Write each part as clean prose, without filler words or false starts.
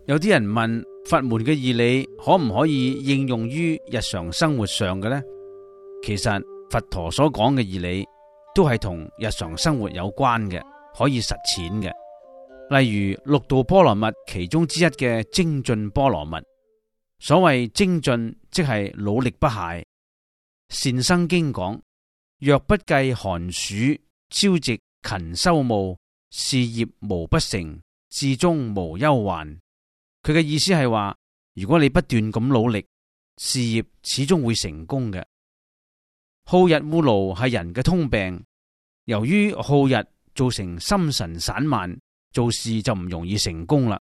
有啲人問佛門嘅義理可唔可以應用於日常生活上嘅呢？其實佛陀所講嘅義理都係同日常生活有關嘅，可以實踐嘅。例如六度波羅蜜其中之一嘅精進波羅蜜。所謂精進，即係努力不懈。善生經講：若不計寒暑，朝夕勤修務，事業無不成，至終無憂患。佢嘅意思係話，如果你不斷咁努力，事業始終會成功嘅。好逸惡勞係人嘅通病，由於好逸造成心神散漫，做事就唔容易成功啦。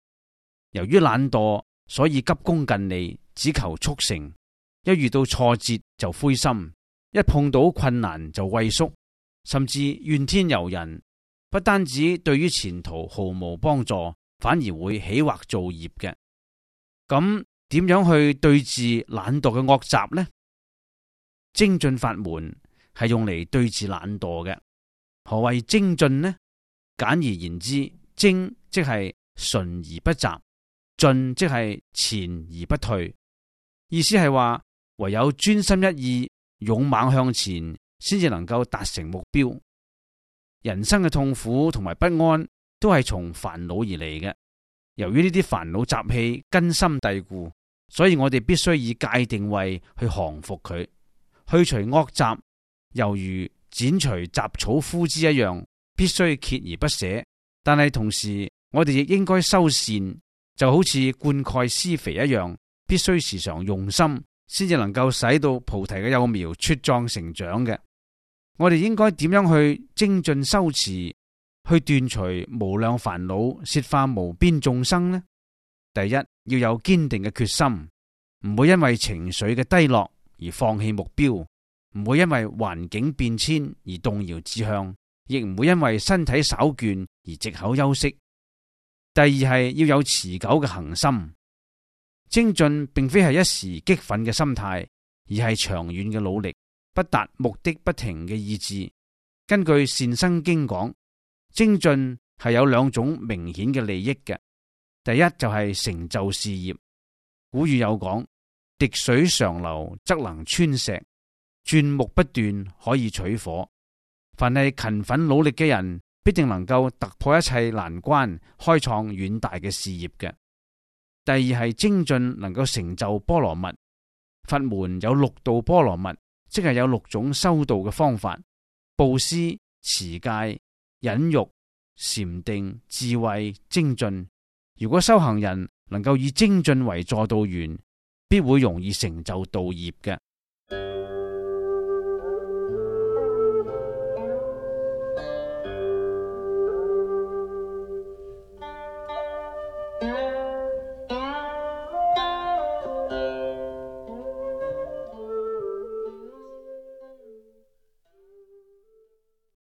由於懶惰，所以急功近利，只求速成。一遇到挫折就灰心，一碰到困難就畏縮，甚至怨天尤人。不單止對於前途毫無幫助，反而會起惑造業嘅。咁點樣去對治懶惰嘅惡習呢？精進法門係用嚟對治懶惰嘅。何謂精進呢？簡而言之，精即係純而不雜，進即係前而不退。意思係話，唯有專心一意，勇猛向前，先至能夠達成目標。人生嘅痛苦同埋不安都係從煩惱而嚟嘅。由於呢啲煩惱習氣根深蒂固，所以我哋必須以戒定慧去降服佢，去除惡習，猶如剪除雜草枯枝一樣，必須鍥而不捨。但係同時，我哋亦應該修善，就好似灌溉施肥一樣，必須時常用心，先至能夠使到菩提嘅幼苗茁壯成長嘅。我哋應該點樣去精進修持，去斷除無量煩惱，攝化無邊眾生呢？第一，要有堅定嘅決心，唔會因為情緒嘅低落而放棄目標，唔會因為環境變遷而動搖志向，亦唔會因為身體稍倦而藉口休息。第二係要有持久嘅恆心。精進並非係一時激憤嘅心態，而係長遠嘅努力，不達目的不停嘅意志。根據善生經講，精進係有兩種明顯嘅利益嘅。第一就係成就事業。古語有講：滴水常流則能穿石，鑽木不斷可以取火。凡係勤奮努力嘅人，必定能夠突破一切難關，開創遠大嘅事業嘅。第二係精進能夠成就波羅蜜。佛門有六度波羅蜜，即係有六種修道嘅方法：布施、持戒、忍辱、禪定、智慧、精進。如果修行人能夠以精進為助道緣，必會容易成就道業嘅。